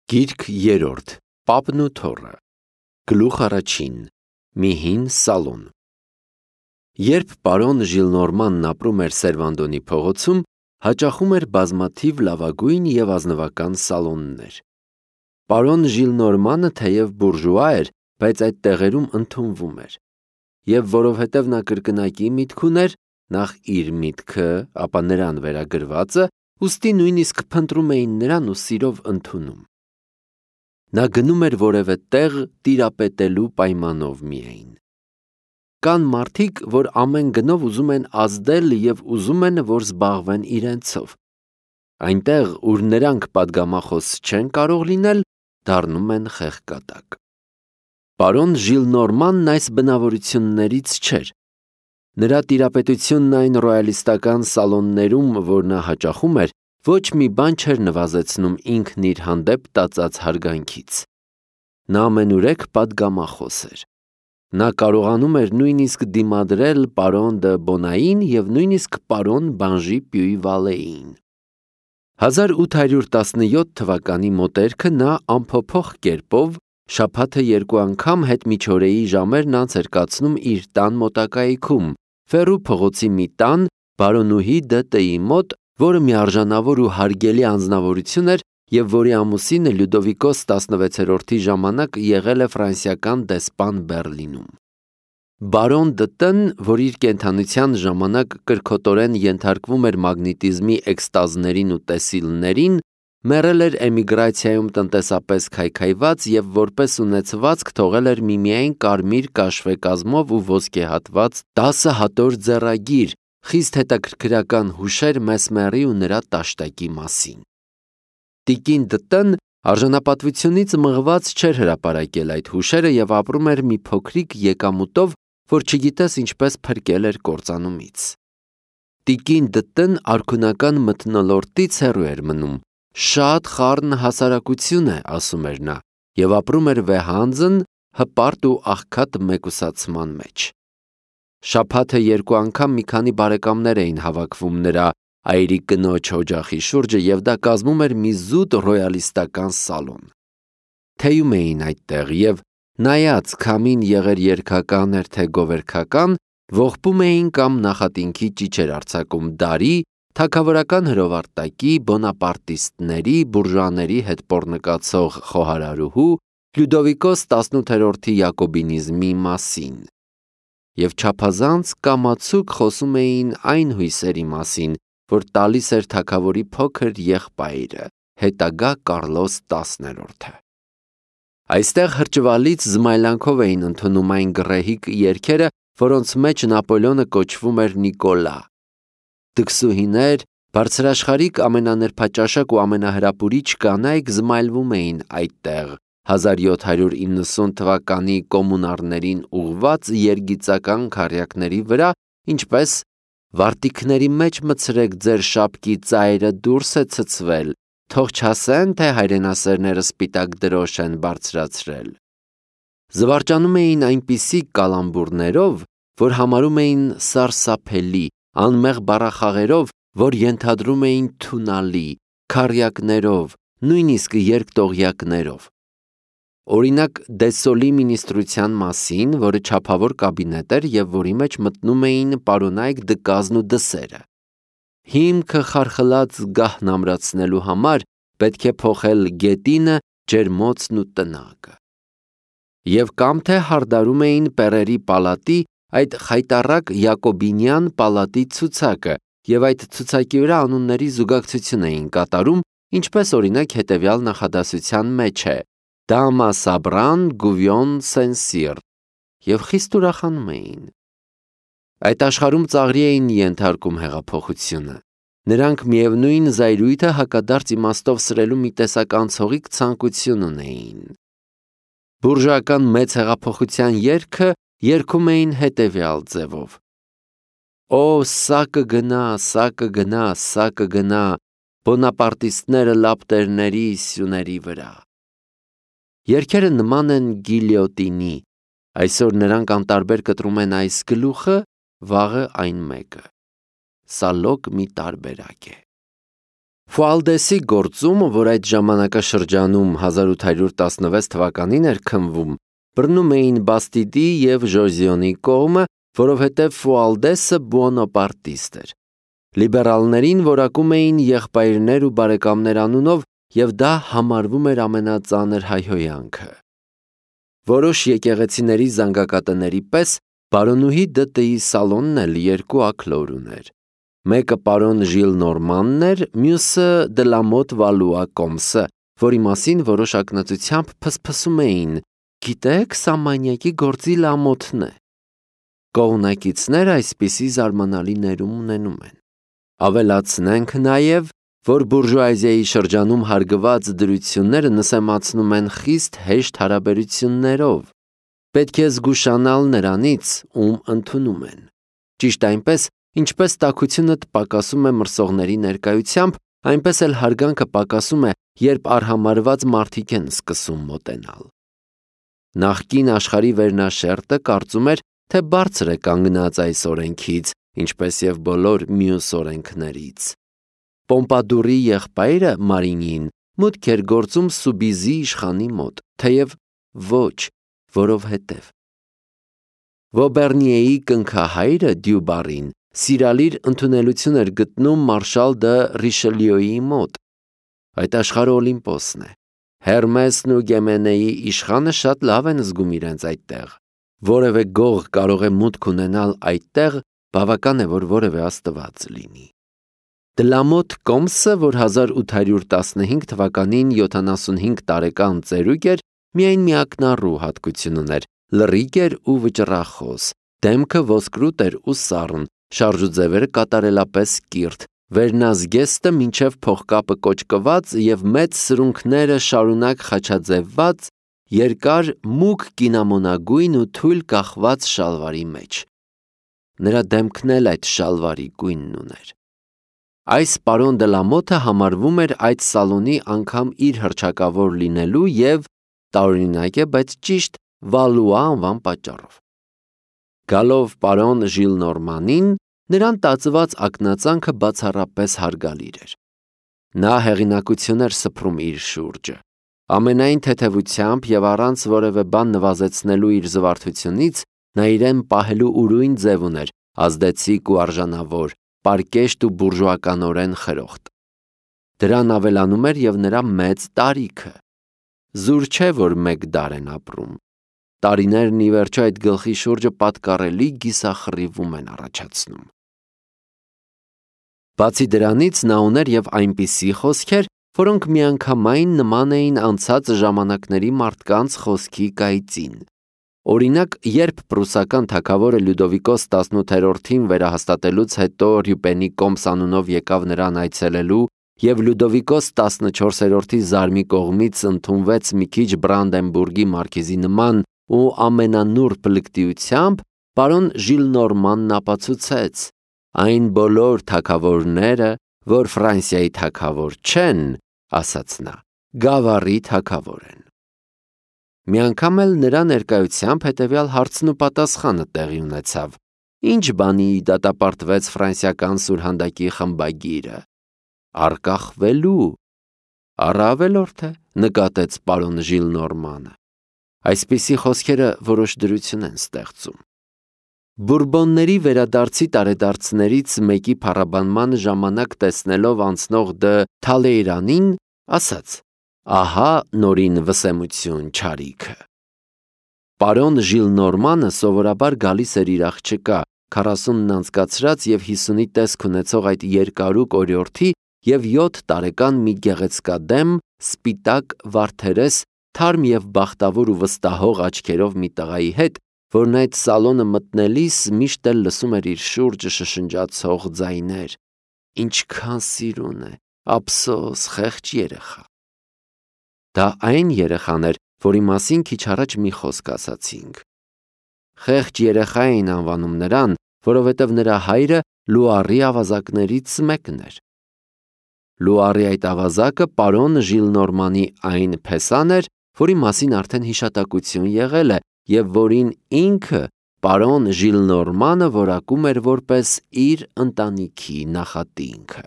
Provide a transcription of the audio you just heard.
Գիրք երրորդ, Պապն ու թոռը, գլուխ առաջին, մի հին սալոն։ Երբ պարոն Ժիլնորմանն ապրում էր Սերվանդոնի փողոցում, հաճախում էր բազմաթիվ լավագույն և ազնվական սալոններ։ Պարոն Ժիլնորմանը թեև բուրժուա էր, բայց այդ տեղերում ընդունվում էր։ Եվ որովհետև նա կրկնակի միտք ուներ, նախ իր միտքը, ապա նրան վերագրվածը, ուստի նույնիսկ փնտրում էին նրան ու սիրով ընդունում։ Նա գնում էր որևէ տեղ տիրապետելու պայմանով միայն։ Կան մարդիկ, որ ամեն գնով ուզում են ազդել և ուզում են, որ զբաղվեն իրենցով։ Այնտեղ, ուր նրանք պատգամախոս չեն կարող լինել, դառնում են խեղկատակ։ Պարոն Ժիլնորմանն այս բնավորություններից չէր։ Նրա տիրապետությունն այն ռոյալիստական սալոններում, որ նա հաճախում էր, ոչ մի բան չէր նվազեցնում ինքն իր հանդեպ տածած հարգանքից։ Նա ամենուրեք պատգամախոս էր։ Նա կարողանում էր նույնիսկ դիմադրել պարոն դը Բոնային և նույնիսկ պարոն Բանժի Պյուի-Վալեին։ 1817 թվականի մոտերքը նա անփոփոխ կերպով շաբաթը 2 անգամ հետմիջօրեի ժամերն անց էր կացնում իր տան մոտակայքում, Ֆերու փողոցի մի տան, բարոնուհի Դ.Տ.-ի մոտ, որը միարժանավոր ու հարգելի անձնավորություն էր և որի ամուսինը Լյուդովիկոս 16-րդի ժամանակ եղել է ֆրանսիական դեսպան Բեռլինում։ Բարոն Դ.Տ.-ն, որ իր կենդանության ժամանակ կրքոտորեն ենթարկվում էր մագնետիզմի էքստազներին ու տեսիլներին, մեռել էր էմիգրացիայում տնտեսապես քայքայված և որպես ունեցվածք թողել էր միմիայն կարմիր կաշվե կազմով ու ոսկեհատված 10 հատոր ձեռագիր, խիստ հետաքրքրական հուշեր Մեսմերի ու նրա տաշտակի մասին։ Տիկին Դ.Տ.-ն արժանապատվությունից մղված չէր հրապարակել այդ հուշերը և ապրում էր մի փոքրիկ եկամուտով, որ չգիտես ինչպես փրկել էր կործանումից։ Տիկին Դ.Տ.-ն արքունական մթնոլորտից հեռու էր մնում, շատ խառն հասարակություն է, ասում էր նա, և ապրում էր վեհանձն, հպարտ ու աղքատ մեկուսացման մեջ։ Շաբաթը 2 անգամ մի քանի բարեկամներ էին հավաքվում նրա այրի կնոջ օջախի շուրջը և դա կազմում էր մի զուտ ռոյալիստական սալոն։ Թեյում էին այդտեղ և նայած քամին եղեր երգական էր թե գովերգական, ողբում էին կամ նախատինքի ճիչեր արձակում դարի, թագավորական հրովարտակի, բոնապարտիստների, բուրժուաների հետ պոռնկացող խոհարարուհու, Լյուդովիկոս 18-րդի յակոբինիզմի մասին։ Եվ չափազանց կամացուկ խոսում էին այն հույսերի մասին, որ տալիս էր թագավորի փոքր եղբայրը, հետագա Կարլոս 10-րդը։ Այստեղ հրճվալից զմայլանքով էին ընդունում այն գռեհիկ երգերը, որոնց մեջ Նապոլեոնը կոչվում էր Նիկոլա։ Դքսուհիներ, բարձրաշխարհիկ ամենանրբաճաշակ ու ամենահրապուրիչ կանայք զմայլվում էին այդտեղ 1790 թվականի կոմունարներին ուղված երգիծական քառյակների վրա, ինչպես «Վարտիքների մեջ մտցրեք ձեր շապկի ծայրը, դուրս է ցցվել, թող չասեն, թե հայրենասերները սպիտակ դրոշ են բարձրացրել»։ Զվարճանում էին այնպիսի կալամբուրներով, որ համարում էին սարսափելի, անմեղ բառախաղերով, որ ենթադրում էին թունալի, քառյակներով, նույնիսկ երկտողյակներով։ Օրինակ Դեսոլի մինիստրության մասին, որը չափավոր կաբինետ էր և որի մեջ մտնում էին պարոնայք դկազն ու դսերը։ Հիմքը խարխլած գահն ամրացնելու համար պետք է փոխել գետինը, ջերմոցն ու տնակը։ Եվ կամ թե հարդարում էին Պեռերի պալատի, այդ խայտառակ յակոբինյան պալատի ցուցակը և այդ ցուցակի վրա անունների զուգակցություն էին կատարում, ինչպես օրինակ հետևյալ նախադասության մեջ է. Դամա Սաբրան Գուվյոն Սենսիր, և խիստ ուրախանում էին։ Այդ աշխարհում ծաղրի էին ենթարկում հեղափոխությունը։ Նրանք միևնույն զայրույթը հակադարձ իմաստով սրելու մի տեսակ անցողիկ ցանկություն ունեին։ Բուրժուական մեծ հեղափոխության երգը երգում էին հետևյալ ձևով. Օ, սա կգնա, սա կգնա, սա կգնա, բոնապարտիստները լապտերների սյուների վրա։ Երգերը նման են գիլյոտինի, այսօր նրանք անտարբեր կտրում են այս գլուխը, վաղը այն մեկը։ Սա լոկ մի տարբերակ է։ Ֆուալդեսի գործում, որ այդ ժամանակաշրջանում 1816 թվականին էր քննվում, բռնում էին Բաստիդի և Ժոզյոնի կողմը, որովհետև Ֆուալդեսը բուոնապարտիստ էր։ Լիբերալներին որակում էին եղբայրներ ու բարեկամներ անունով, և դա համարվում էր ամենածանր հայհոյանքը։ Որոշ եկեղեցիների զանգակատների պես պարոնուհի ԴՏ-ի սալոնն էլ երկու աքլոր ուներ։ Մեկը պարոն Ժիլ Նորմանն էր, մյուսը Դլամոտ Վալուա Կոմսը, որի մասին որոշ ակնածությամբ փսփսում էին. «Գիտեք, սա մանյակի գործի Լամոթն է»։ Կողմնակիցները այսպիսի զարմանալի ներում ունենում են։ Ավելացնենք նաև, որ բուրժուազիայի շրջանում հարգված դրությունները նսեմացնում են խիստ հեշտ հարաբերություններով։ Պետք է զգուշանալ նրանից, ում ընդունում են։ Ճիշտ այնպես, ինչպես տաքությունդ պակասում է մրսողների ներկայությամբ, այնպես էլ հարգանքը պակասում է, երբ արհամարհված մարդիկ են սկսում մոտենալ։ Նախկին աշխարհի վերնաշերտը կարծում էր, թե բարձր է կանգնած այս օրենքից, ինչպես և բոլոր մյուս օրենքներից։ Պոմպադուրի եղբայրը Մարինին մուտք էր գործում Սուբիզի իշխանի մոտ, թեև ոչ, որովհետև։ Վոբերնիեի կնքահայրը Դյուբարին սիրալիր ընդունելություն էր գտնում մարշալ դը Ռիշելիոյի մոտ։ Այդ աշխարհը Օլիմպոսն է։ Հերմեսն ու Գեմենեի իշխանը շատ լավ են զգում իրենց այդտեղ։ Որևէ գող կարող է մուտք ունենալ այդտեղ, բավական է, որ որևէ աստված լինի։ Դլամոտ Կոմսը, որ 1815 թվականին 75 տարեկան ծերուկ էր, միայն մի ակնառու հատկություն ուներ՝ լռիկ էր ու վճռախոս, դեմքը ոսկրուտ էր ու սառն, շարժուձևերը կատարելապես կիրթ, վերնազգեստը մինչև փողկապը կոճկված և մեծ սրունքները շարունակ խաչաձևված, երկար մուգ կինամոնագույն ու թույլ կախված շալվարի մեջ։ Նրա դեմքն էլ այդ շալվարի գույնն ուներ։ Այս պարոն Դլամոթը համարվում էր այդ սալոնի անգամ իր հռչակավոր լինելու և տարօրինակ է, բայց ճիշտ Վալուա անվան պատճառով։ Գալով պարոն Ժիլ Նորմանին, նրան տածված ակնածանքը բացառապես հարգալիր էր։ Նա հեղինակություն էր սփռում իր շուրջը։ Ամենայն թեթևությամբ և առանց որևէ բան նվազեցնելու իր զվարթությունից, նա իրեն պահելու ուրույն ձև ուներ, ազդեցիկ ու արժանավոր, պարկեշտ ու բուրժուականորեն խրոխտ։ Դրան ավելանում էր և նրա մեծ տարիքը։ Զուր չէ, որ մեկ դար են ապրում։ Տարիներն ի վերջո այդ գլխի շուրջը պատկառելի գիսախռիվում են առաջացնում։ Բացի դրանից նա ուներ և այնպիսի խոսքեր, որոնք միանգամայն նման էին անցած ժամանակների մարդկանց խոսքի կայծին։ Օրինակ, երբ պրուսական թագավորը Լյուդովիկոս 18-ին վերահաստատելուց հետո Ռյուպենի Կոմս անունով եկավ նրան այցելելու և Լյուդովիկոս 14-րդի զարմի կողմից ընդունվեց մի քիչ Բրանդենբուրգի մարքիզի նման ու ամենանուրբ լկտիությամբ, պարոն Ժիլ Նորմանն ապացուցեց. «Այն բոլոր թագավորները, որ Ֆրանսիայի թագավոր չեն, ասաց նա, գավառի թագավոր են»։ Մի անգամ էլ նրա ներկայությամբ հետևյալ հարցն ու պատասխանը տեղի ունեցավ. «Ինչ բանի դատապարտվեց ֆրանսիական սուրհանդակի խմբագիրը»։ «Արկախվելու»։ «Առավելորդ է», նկատեց պարոն Ժիլ Նորմանը։ Այսպիսի խոսքերը որոշ դրություն են ստեղծում։ Բուրբոնների վերադարձի տարեդարձներից մեկի փառաբանման ժամանակ տեսնելով անցնող դը Թալեյրանին, ասաց. «Ահա նորին վսեմություն չարիքը»։ Պարոն Ժիլ Նորմանը սովորաբար գալիս էր իր աղջկա, 40-ն անցկացրած և 50-ի տեսք ունեցող այդ երկարուկ օրիորդի և 7 տարեկան մի գեղեցկադեմ, սպիտակ, վարդերես, թարմ և բախտավոր ու վստահող աչքերով մի տղայի հետ, որն այդ սալոնը մտնելիս միշտ էլ լսում էր իր շուրջը շշնջացող ձայներ. «Ինչքան սիրուն է, ափսոս, խեղճ երեխա»։ Դա այն երեխան էր, որի մասին քիչ առաջ մի խոսք ասացինք։ Խեղճ երեխա էին անվանում նրան, որովհետև նրա հայրը Լուարի ավազակներից մեկն էր։ Լուարի այդ ավազակը պարոն Ժիլ Նորմանի այն փեսան էր, որի մասին արդեն հիշատակություն եղել է և որին ինքը պարոն Ժիլ Նորմանը որակում էր որպես իր ընտանիքի նախատինքը։